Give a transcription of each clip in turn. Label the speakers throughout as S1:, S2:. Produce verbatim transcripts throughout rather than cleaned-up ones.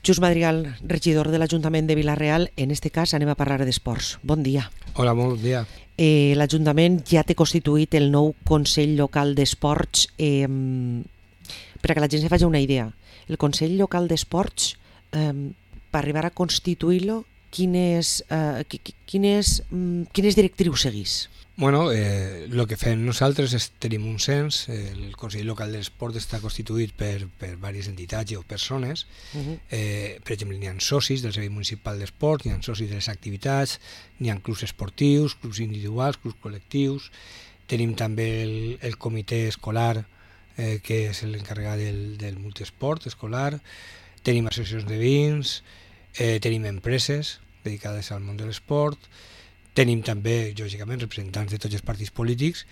S1: Just Madrigal, regidor de l'Ajuntament de Vila-real. En este cas anem a parlar d'esports. Bon dia.
S2: Hola, bon dia.
S1: Eh, L'Ajuntament ja té constituït el nou Consell Local d'Esports. Eh, per a que la gent se faci una idea, el Consell Local d'Esports, eh, per arribar a constituir-lo, quines, eh, quines, quines directrius seguís?
S2: Bueno, eh, el que fem nosaltres és tenim un cens. El Consell Local d'Esport està constituït per, per diverses entitats o persones. Uh-huh. eh, per exemple, n'hi ha socis del Servei Municipal d'Esport, n'hi ha socis de les activitats, n'hi ha clubs esportius, clubs individuals, clubs col·lectius. Tenim també el, el comitè escolar, eh, que és l'encarregat del, del multiesport escolar. Tenim associacions de veïns, eh, tenim empreses dedicades al món de l'esport. Tenim també, lògicament, representants de tots els partits polítics,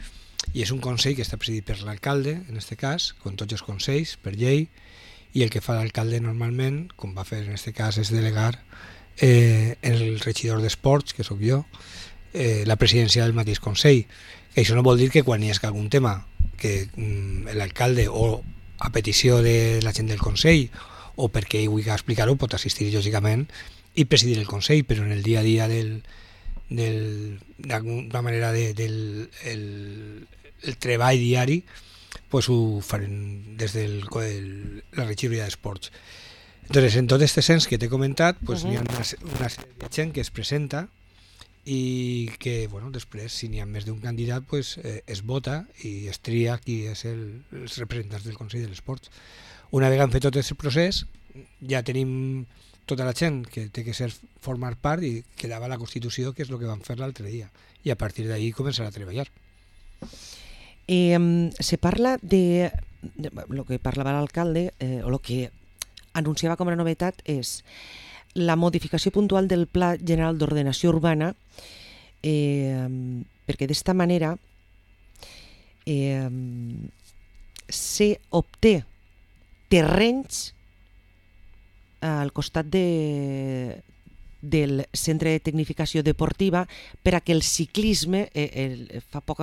S2: i és un consell que està presidit per l'alcalde, en aquest cas, com tots els consells, per llei, i el que fa l'alcalde normalment, com va fer en aquest cas, és delegar eh, el regidor d'esports, que sóc jo, eh, la presidència del mateix consell. Que això no vol dir que quan hi hagi algun tema que mm, l'alcalde, o a petició de la gent del consell, o perquè ell vulgui explicar-ho, pot assistir, lògicament, i presidir el consell, però en el dia a dia del d'alguna manera de, del el, el treball diari, pues ho farem des de la regidoria d'esports. Entonces, en tot este cens que t'he comentat, pues uh-huh. n'hi ha una, una sèrie de gent que es presenta i que, bueno, després, si n'hi ha més d'un candidat, pues, eh, es vota i es tria qui és el, els representants del Consell de l'Esports. Una vegada han fet tot aquest procés, ja tenim tota la gent que té que ser formar part, i quedava la Constitució, que és el que vam fer l'altre dia, i a partir d'ahí començar a treballar.
S1: Eh, se parla de, de lo que parlava l'alcalde, eh, o el que anunciava com a novetat és la modificació puntual del Pla General d'Ordenació Urbana, eh, perquè d'esta manera eh, se obté terrenys al costat de, del Centre de Tecnificació Deportiva per a que el ciclisme, eh, el, fa poc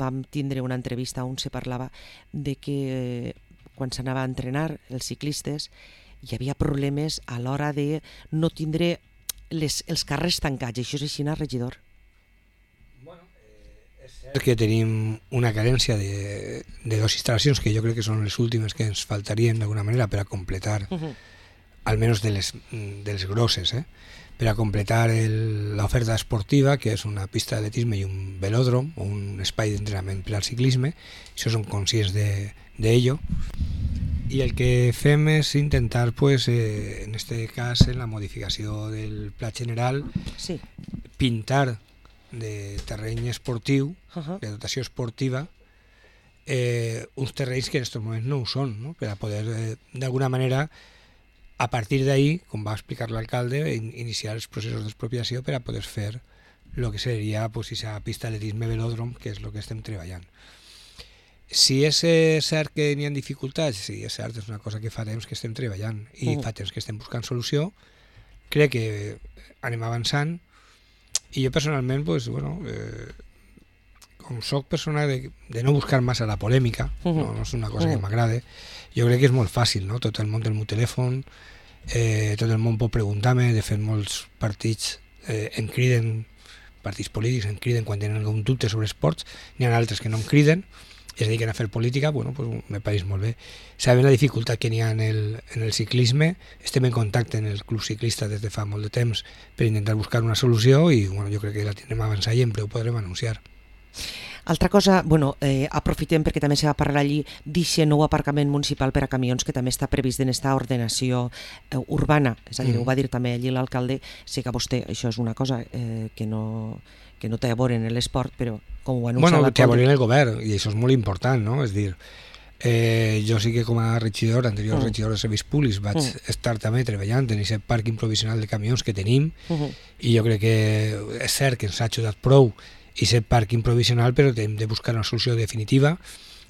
S1: vam tindre una entrevista on se parlava de que eh, quan s'anava a entrenar els ciclistes hi havia problemes a l'hora de no tindre les, els carrers tancats. Això és així, regidor?
S2: Bueno, eh, és cert que tenim una carència de, de dues instal·lacions que jo crec que són les últimes que ens faltarien d'alguna manera per a completar, uh-huh. almenys de les, de les grosses, eh? per a completar l'oferta esportiva, que és una pista d'atletisme i un velòdrom, o un espai d'entrenament per al ciclisme. Això som conscients d'ello. I el que fem és intentar, pues, eh, en este cas, en la modificació del pla general,
S1: sí.
S2: pintar de terreny esportiu, uh-huh. de dotació esportiva, eh, uns terrenys que en aquests moments no ho són, no? Per a poder, eh, d'alguna manera, a partir d'ahí, com va explicar l'alcalde, iniciar els processos d'expropiació per a poder fer el que seria, pues, aquesta pista d'atletisme velòdrom, que és el que estem treballant. Si és eh, cert que n'hi ha dificultats, sí, és cert, és una cosa que fa temps que estem treballant i uh. fa temps que estem buscant solució. Crec que anem avançant, i jo personalment, pues, bueno, eh, com soc persona de, de no buscar massa la polèmica, uh-huh. no, no és una cosa uh-huh. que m'agrada, jo crec que és molt fàcil, no? Tot el món té el meu telèfon, eh, tot el món pot preguntar-me. De fet, molts partits eh, em criden, partits polítics em criden quan tenen algun dubte sobre esports, n'hi ha altres que no em criden i es dediquen a fer política. Bueno, pues me pareix molt bé. Sabem la dificultat que n'hi ha en el, en el ciclisme, estem en contacte en el club ciclista des de fa molt de temps per intentar buscar una solució, i bueno, jo crec que la tindrem a avançar i en breu podrem anunciar.
S1: Altra cosa, bueno, eh, aprofitem perquè també se va parlar allí d'aquest nou aparcament municipal per a camions que també està previst en aquesta ordenació eh, urbana, és a dir, mm. ho va dir també allí l'alcalde. Sé que vostè, això és una cosa eh, que, no, que no té a veure en l'esport, però com ho anuncia
S2: bueno,
S1: l'alcalde...
S2: té a veure en el govern, i això és molt important, no? És dir, eh, jo sí que com a regidor, anterior mm. regidor de serveis públics, vaig mm. estar també treballant en aquest parc improvisional de camions que tenim, mm-hmm. i jo crec que és cert que ens ha ajudat prou i ser parc improvisional, però hem de buscar una solució definitiva,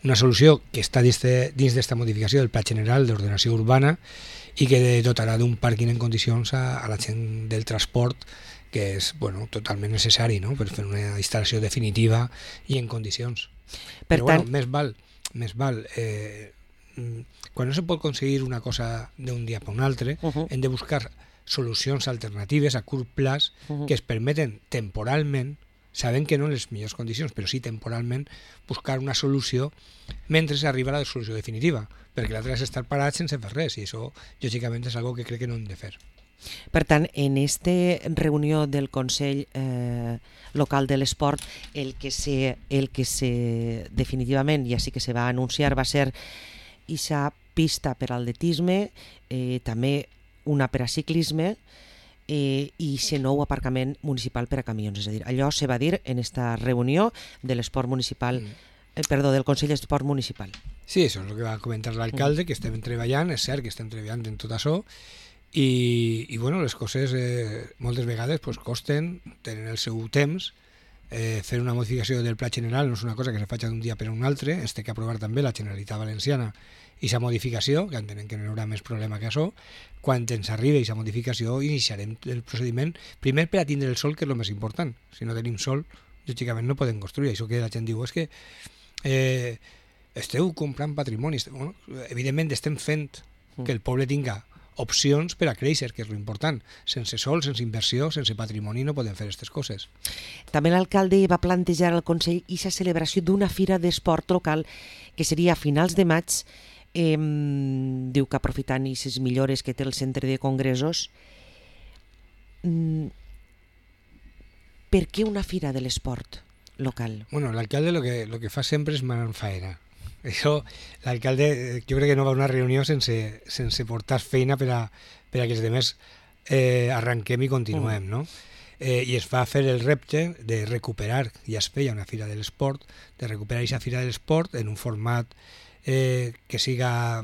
S2: una solució que està dins d'esta modificació del Pla General d'Ordenació Urbana i que dotarà d'un pàrquing en condicions a, a la gent del transport, que és, bueno, totalment necessari, no?, per fer una instal·lació definitiva i en condicions. Per però tant... bueno, més val, més val eh, quan no se pot aconseguir una cosa d'un dia per un altre, uh-huh. hem de buscar solucions alternatives a curt plaç uh-huh. que es permeten temporalment, sabent que no en les millors condicions, però sí temporalment, buscar una solució mentre s'arriba a la solució definitiva, perquè l'altre és estar parat sense fer res, i això, lògicament, és algo que crec que no hem de fer.
S1: Per tant, en esta reunió del Consell eh, Local de l'Esport, el que se, el que se definitivament, ja sí que se va anunciar, va ser ixa pista per atletisme, eh, també una per a ciclisme eh, i ixe nou aparcament municipal per a camions. És a dir, allò se va dir en esta reunió de l'esport municipal, eh, perdó, del Consell d'Esport Municipal.
S2: Sí, això és el que va comentar l'alcalde, mm. que estem treballant, és cert que estem treballant en tot això, I, i bueno, les coses eh, moltes vegades pues, costen, tenen el seu temps, eh, fer una modificació del pla general no és una cosa que se faci d'un dia per a un altre, es té que aprovar també la Generalitat Valenciana i sa modificació, que entenem que no hi haurà més problema que això. Quan ens arribi aquesta modificació iniciarem el procediment, primer per a tindre el sol, que és el més important. Si no tenim sol, lògicament no podem construir. Això que la gent diu és que eh, esteu comprant patrimoni. Bueno, evidentment estem fent que el poble tinga opcions per a créixer, que és l'important. Sense sol, sense inversió, sense patrimoni no podem fer aquestes coses.
S1: També l'alcalde va plantejar al Consell aquesta celebració d'una fira d'esport local que seria a finals de maig. Eh, diu que aprofitant aquestes millores que té el centre de congressos. Mm, per què una fira de l'esport local?
S2: Bueno, l'alcalde lo que, lo que fa sempre és manar faena. Això, l'alcalde, jo crec que no va a una reunió sense, sense portar feina per a, per a que els demés eh, arranquem i continuem, no? Eh, I es va fer el repte de recuperar, ja es feia una fira de l'esport, de recuperar aquesta fira de l'esport en un format eh, que siga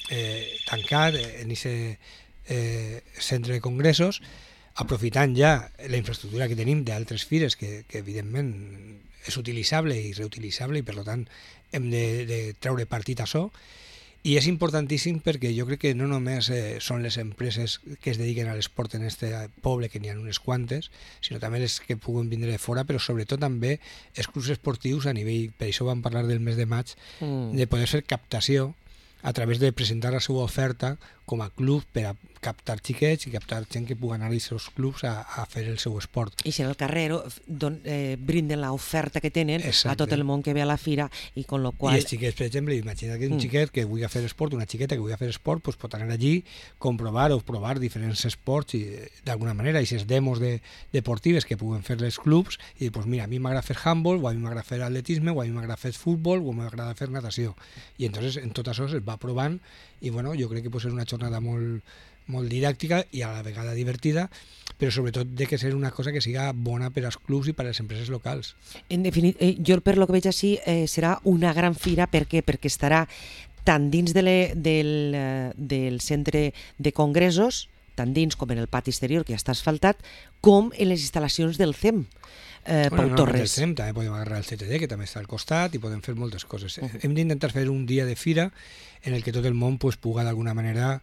S2: eh, tancat en aquest eh, centre de congressos, aprofitant ja la infraestructura que tenim d'altres fires que, que evidentment és utilitzable i reutilitzable i per tant hem de, de treure partit a això, i és importantíssim perquè jo crec que no només eh, són les empreses que es dediquen a l'esport en este poble, que n'hi ha unes quantes, sinó també les que puguen vindre de fora, però sobretot també els clubs esportius a nivell, per això vam parlar del mes de maig, mm. de poder fer captació a través de presentar la seva oferta com a club per a captar xiquets i captar gent que pugui anar als seus clubs a, a fer el seu esport.
S1: I si en el carrer don, eh, brinden l'oferta que tenen Exacte. A tot el món que ve a la fira i con lo qual...
S2: I els xiquets, per exemple, imagina que un mm. xiquet que vulgui fer esport, una xiqueta que vulgui fer esport, pues pot anar allí, comprovar o provar diferents esports i d'alguna manera, i aquestes demos de, deportives que puguen fer els clubs i dir, pues mira, a mi m'agrada fer handball, o a mi m'agrada fer atletisme, o a mi m'agrada fer futbol, o m'agrada fer natació. I entonces en tot això es va provant i bueno, jo crec que pot ser una jornada molt, molt didàctica i a la vegada divertida, però sobretot de que ser una cosa que siga bona per als clubs i per a les empreses locals.
S1: En definitiva, eh, jo per lo que veig així eh, serà una gran fira. Per què? Perquè estarà tant dins de le, del, del centre de congressos, tant dins com en el pati exterior, que ja està asfaltat, com en les instal·lacions del C E M. Eh,
S2: bueno,
S1: Pau
S2: no,
S1: Torres.
S2: Del C E M també podem agarrar el C T D, que també està al costat, i podem fer moltes coses. Uh-huh. Hem d'intentar fer un dia de fira en el que tot el món pues, pugui d'alguna manera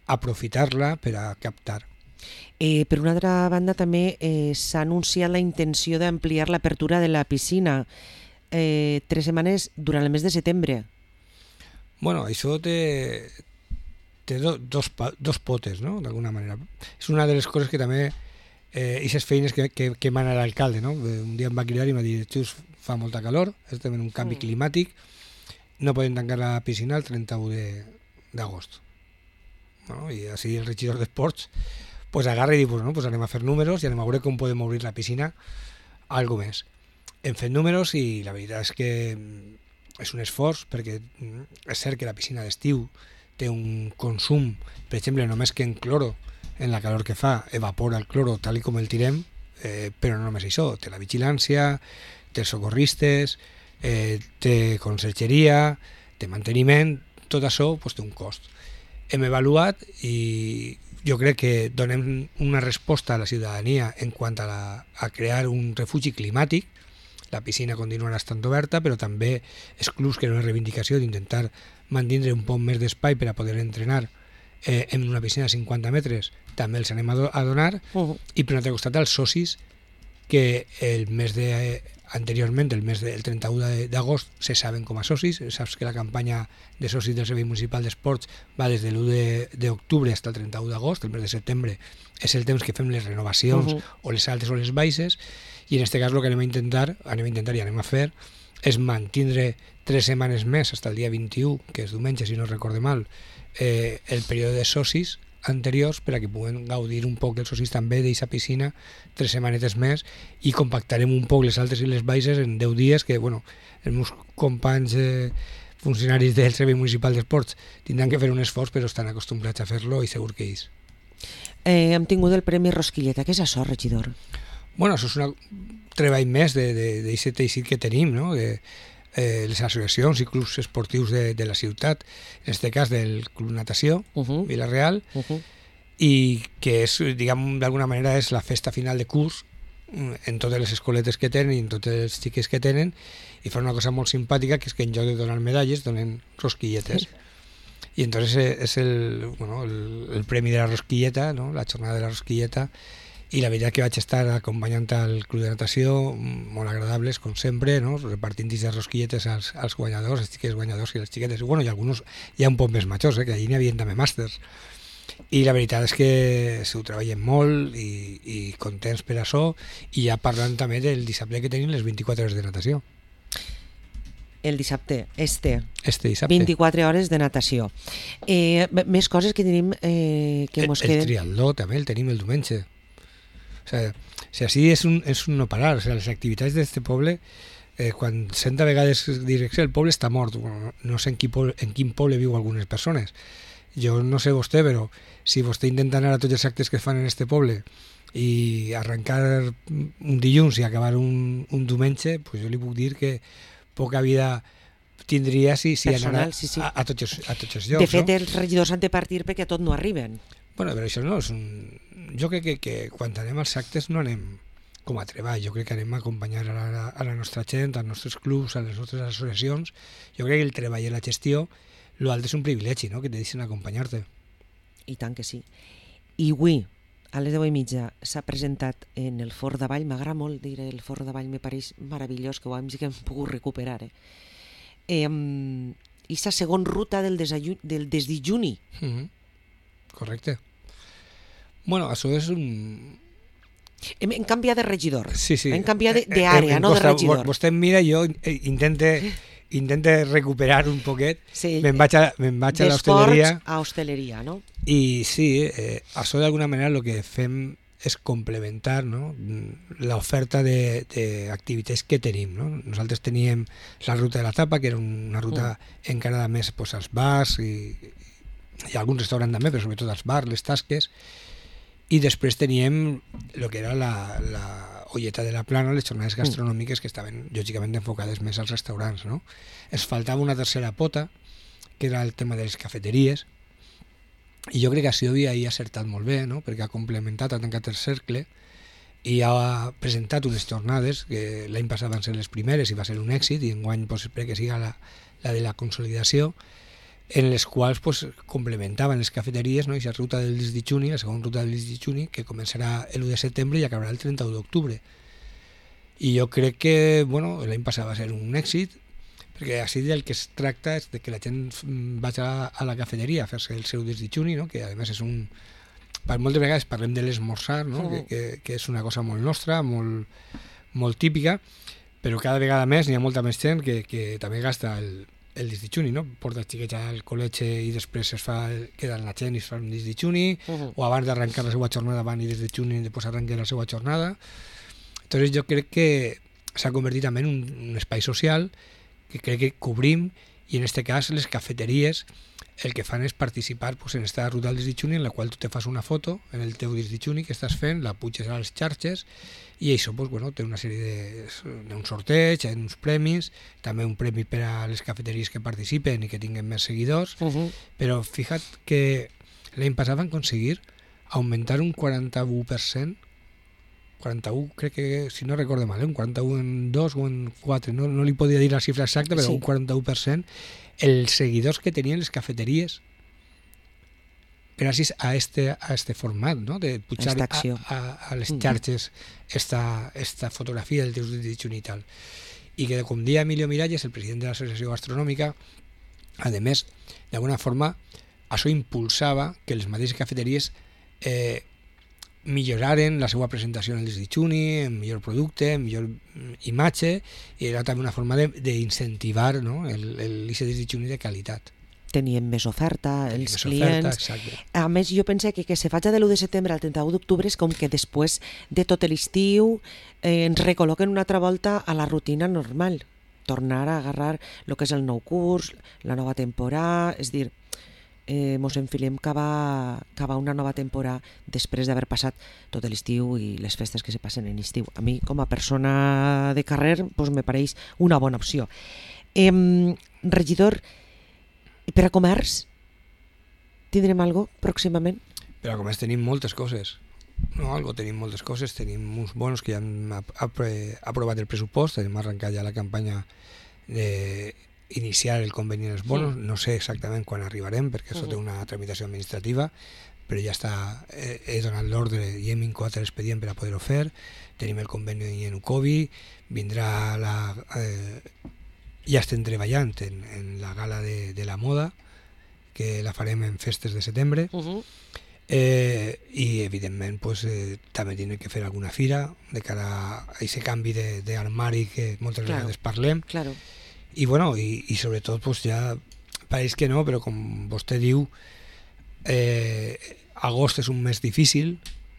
S2: aprofitar-la per a captar.
S1: Eh, per una altra banda, també eh, s'ha anunciat la intenció d'ampliar l'apertura de la piscina eh, tres setmanes durant el mes de setembre.
S2: Bueno, això té, té do, dos, dos potes, no?, d'alguna manera. És una de les coses que també eh, aquestes feines que, que, que mana l'alcalde, no? Un dia em va cridar i em va dir, just fa molta calor, estem en un canvi mm. climàtic, no podem tancar la piscina el trenta-u d'agost. No? I així el regidor d'esports pues agarra i diu, pues, no, pues anem a fer números i anem a veure com podem obrir la piscina algo més. Hem fet números i la veritat és que és un esforç, perquè és cert que la piscina d'estiu té un consum, per exemple, només que en cloro, en la calor que fa, evapora el cloro tal i com el tirem, eh, però no només això, té la vigilància, té els socorristes, eh, té consergeria, té manteniment, tot això pues, té un cost. Hem avaluat i jo crec que donem una resposta a la ciutadania en quant a, la, a crear un refugi climàtic. La piscina continuarà estant oberta, però també els clubs, que era una reivindicació d'intentar mantenir un poc més d'espai per a poder entrenar eh, en una piscina de cinquanta metres, també els anem a, do, a donar. Uh-huh. I per un altre costat, els socis que el mes de anteriorment, el mes del trenta-u d'agost, se saben com a socis. Saps que la campanya de socis del Servei Municipal d'Esports va des de l'u d'octubre fins al trenta-u d'agost. El mes de setembre és el temps que fem les renovacions, uh-huh. o les altes o les baixes, i en aquest cas el que anem a intentar, anem a intentar i anem a fer és mantindre tres setmanes més fins al dia vint-i-u, que és diumenge, si no recorde mal, eh, el període de socis anteriors per a que puguen gaudir un poc els socis també d'aquesta piscina tres setmanetes més, i compactarem un poc les altes i les baixes en deu dies, que bueno, els meus companys eh, funcionaris del Servei Municipal d'Esports tindran que fer un esforç, però estan acostumbrats a fer-lo i segur que ells.
S1: Eh, hem tingut el Premi Rosquilleta. Què és això, regidor?
S2: Bueno, això és un treball més d'aquest teixit que tenim, no? De, eh, les associacions i clubs esportius de, de la ciutat, en aquest cas del Club Natació, uh-huh. Vila-real, uh-huh. i que és, diguem, d'alguna manera és la festa final de curs en totes les escoletes que tenen i en totes les xiques que tenen, i fa una cosa molt simpàtica, que és que en lloc de donar medalles donen rosquilletes. Sí. I entonces és el, bueno, el, el premi de la rosquilleta, no? La jornada de la rosquilleta, i la veritat que vaig estar acompanyant al Club de Natació, molt agradables, com sempre, no? Repartint de rosquilletes als, als guanyadors, els xiques guanyadors i les xiquetes, i, bueno, i alguns ja un poc més majors, eh? Que allí n'hi havia també màsters. I la veritat és que s'ho treballen molt i, i contents per això, i ja parlant també del dissabte que tenim les vint-i-quatre hores de natació.
S1: El dissabte, este,
S2: este dissabte.
S1: vint-i-quatre hores de natació. Eh, més coses que tenim eh, que
S2: el,
S1: mos queden.
S2: El triatló també el tenim el diumenge. O sea, o sea, així és un, és un no parar. O sea, les activitats d'aquest poble, eh, quan sent a vegades dir que el poble està mort, bueno, no sé en quin, poble, en quin poble viu algunes persones. Jo no sé vostè, però si vostè intenta anar a tots els actes que fan en este poble i arrencar un dilluns i acabar un, un diumenge, pues jo li puc dir que poca vida tindria si, si
S1: Personal,
S2: anara
S1: sí, sí.
S2: A, a, tots els, a tots els llocs.
S1: De fet,
S2: no?
S1: els regidors han de partir perquè a tot no arriben.
S2: Bueno, però això no és un... Jo crec que, que quan anem als actes no anem com a treball, jo crec que anem a acompanyar a la, a la nostra gent, als nostres clubs, a les nostres associacions. Jo crec que el treball i la gestió, l'altre és un privilegi, no? Que te deixen acompanyar-te.
S1: I tant que sí. I avui, a les deu i mitja, s'ha presentat en el Fort d'Avall. M'agrada molt dir el Fort d'Avall, me pareix meravellós, que ho hem, que hem pogut recuperar. Eh? Eh, I la segona ruta del, del desdijuni.
S2: Mm-hmm. Correcte. Bueno, això és un...
S1: Hem, hem canviat de regidor.
S2: Sí, sí.
S1: Hem canviat d'àrea, no de regidor.
S2: Vostè em mira, jo intente... intenta recuperar un poquet, sí. me'n vaig a, me'n vaig a l'hostaleria.
S1: D'esports a hostaleria, no?
S2: I sí, eh, això d'alguna manera el que fem és complementar, no? L'oferta d'activitats que tenim. No? Nosaltres teníem la ruta de la tapa, que era una ruta mm. encarada més pues, als bars i, i alguns restaurants també, però sobretot als bars, les tasques. I després teníem el que era la, la olleta de la plana, les jornades gastronòmiques que estaven lògicament enfocades més als restaurants, no? Es faltava una tercera pota, que era el tema de les cafeteries, i jo crec que Asiobi hi ha acertat molt bé, no? Perquè ha complementat, ha tancat el cercle i ha presentat unes jornades que l'any passat van ser les primeres i va ser un èxit, i enguany pues, espero que siga la, la de la consolidació, en les quals pues, complementaven les cafeteries, no? I la ruta del Disdichuni, la segona ruta del Disdichuni, que començarà l'u de setembre i acabarà el trenta-u d'octubre. I jo crec que bueno, l'any passat va ser un èxit, perquè així del que es tracta és de que la gent vagi a, a la cafeteria a fer-se el seu Disdichuni, no? Que a més és un... Per moltes vegades parlem de l'esmorzar, no? Mm. que, que, que és una cosa molt nostra, molt, molt típica, però cada vegada més n'hi ha molta més gent que, que també gasta el el disdichuni, no? Porta els xiquets al col·legi i després es fa, queda la gent i es fa un disdichuni, uh-huh. o abans d'arrencar la seva jornada van i disdichuni i després arrencar la seva jornada. Entonces jo crec que s'ha convertit també en un, un espai social que crec que cobrim, i en aquest cas les cafeteries el que fan és participar pues, en aquesta ruta del disdichuni en la qual tu te fas una foto en el teu disdichuni que estàs fent, la puges a les xarxes i això pues, bueno, té una sèrie de, d'un sorteig, uns premis, també un premi per a les cafeteries que participen i que tinguen més seguidors, uh-huh. però fija't que l'any passat van aconseguir augmentar un quaranta-u per cent, quaranta-u crec que, si no recordo mal, eh? un quaranta-u en dos o en quatre, no, no li podia dir la xifra exacta, però sí. un quaranta-u per cent els seguidors que tenien les cafeteries gràcies a este, a este format, no? De pujar a, a, a les xarxes esta, esta fotografia del teus Ditxuni i tal. I que, com dia Emilio Miralles, el president de l'Associació Gastronòmica, a més, d'alguna forma, això impulsava que les mateixes cafeteries eh, milloraren la seva presentació en el Ditxuni, en millor producte, en millor imatge, i era també una forma d'incentivar, no? l'I C Ditxuni de qualitat.
S1: Teníem més oferta, els més clients... Oferta, a més, jo penso que que se faci de l'u de setembre al trenta-u d'octubre és com que després de tot l'estiu eh, ens recol·loquen una altra volta a la rutina normal. Tornar a agarrar el que és el nou curs, la nova temporada, és dir, eh, mos enfilem cap a, cap a una nova temporada després d'haver passat tot l'estiu i les festes que se passen en estiu. A mi, com a persona de carrer, doncs me pareix una bona opció. Eh, regidor, i per a comerç, tindrem alguna cosa pròximament?
S2: Per a comerç tenim moltes coses. No, algo tenim moltes coses. Tenim uns bonos que ja hem aprovat el pressupost, hem arrencat ja la campanya d'iniciar el conveni dels bonos. No sé exactament quan arribarem, perquè això té una tramitació administrativa, però ja està, he donat l'ordre i hem incoat l'expedient per a poder-ho fer. Tenim el conveni en Ucovi, vindrà la... Eh, ja estem treballant en, en la gala de, de la moda, que la farem en festes de setembre, uh-huh. eh, i evidentment pues, eh, també tindrem que fer alguna fira de cara a aquest canvi d'armari que moltes claro, vegades parlem,
S1: claro.
S2: I, bueno, i, i sobretot pues, ja pareix que no, però com vostè diu, eh, agost és un mes difícil,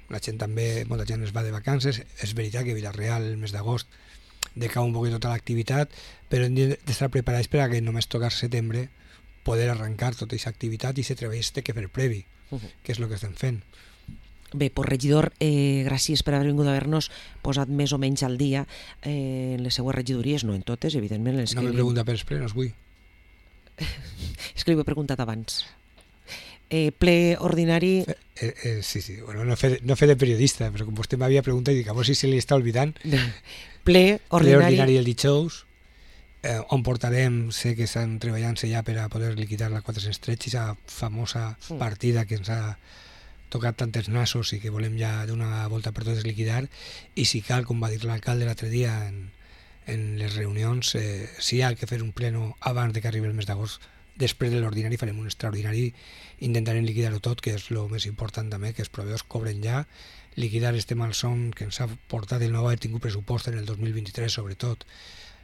S2: la gent també, molta gent es va de vacances, és veritat que Vila-real el mes d'agost decau un poquet tota l'activitat, però hem d'estar preparats per a que només tocar setembre poder arrencar tota aquesta activitat i aquest treball té que fer previ, uh-huh. que és el que estem fent.
S1: Bé, pues regidor, eh, gràcies per haver vingut a haver-nos posat més o menys al dia eh, en les seues regidories, no en totes, evidentment. Les
S2: no
S1: que
S2: me pregunta per els plenos, vull.
S1: És que li ho he preguntat abans. Eh, ple ordinari...
S2: Eh, eh, sí, sí, bueno, no fer, no fer de periodista, però com vostè m'havia preguntat i dic, a veure si se li està oblidant.
S1: Ple ordinari...
S2: Ple ordinari el dijous, eh, on portarem, sé que estan treballant-se ja per a poder liquidar la quatre-cents tretze, aquesta famosa partida que ens ha tocat tantes nassos i que volem ja d'una volta per totes liquidar, i si cal, com va dir l'alcalde l'altre dia en, en les reunions, eh, si hi ha que fer un pleno abans de que arribi el mes d'agost, després de l'ordinari farem un extraordinari, intentarem liquidar-ho tot, que és el més important també, que els proveïdors cobren ja, liquidar este malson que ens ha portat el no haver tingut pressupost en el dos mil vint-i-tres, sobretot,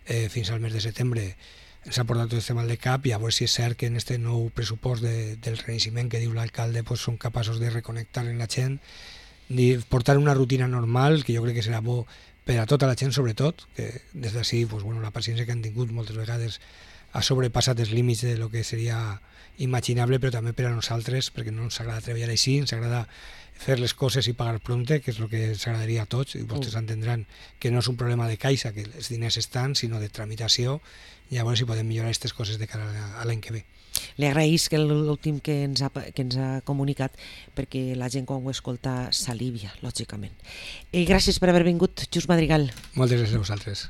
S2: eh, fins al mes de setembre, ens ha portat tot este mal de cap, i a veure si és cert que en este nou pressupost de, del renaixement que diu l'alcalde pues, són capaços de reconnectar en la gent, de portar una rutina normal, que jo crec que serà bo per a tota la gent, sobretot, que des d'ací pues, bueno, la paciència que han tingut moltes vegades ha sobrepassat els límits de lo que seria imaginable, però també per a nosaltres, perquè no ens agrada treballar així, ens agrada fer les coses i pagar prompte, que és el que ens agradaria a tots, i vostès entendran que no és un problema de caixa, que els diners estan, sinó de tramitació, i a veure si podem millorar aquestes coses de cara a l'any que ve.
S1: Li agraïsc l'últim que ens ha, que ens ha comunicat, perquè la gent quan ho escolta s'alivia, lògicament. Eh, gràcies per haver vingut, Just Madrigal.
S2: Moltes gràcies a vosaltres.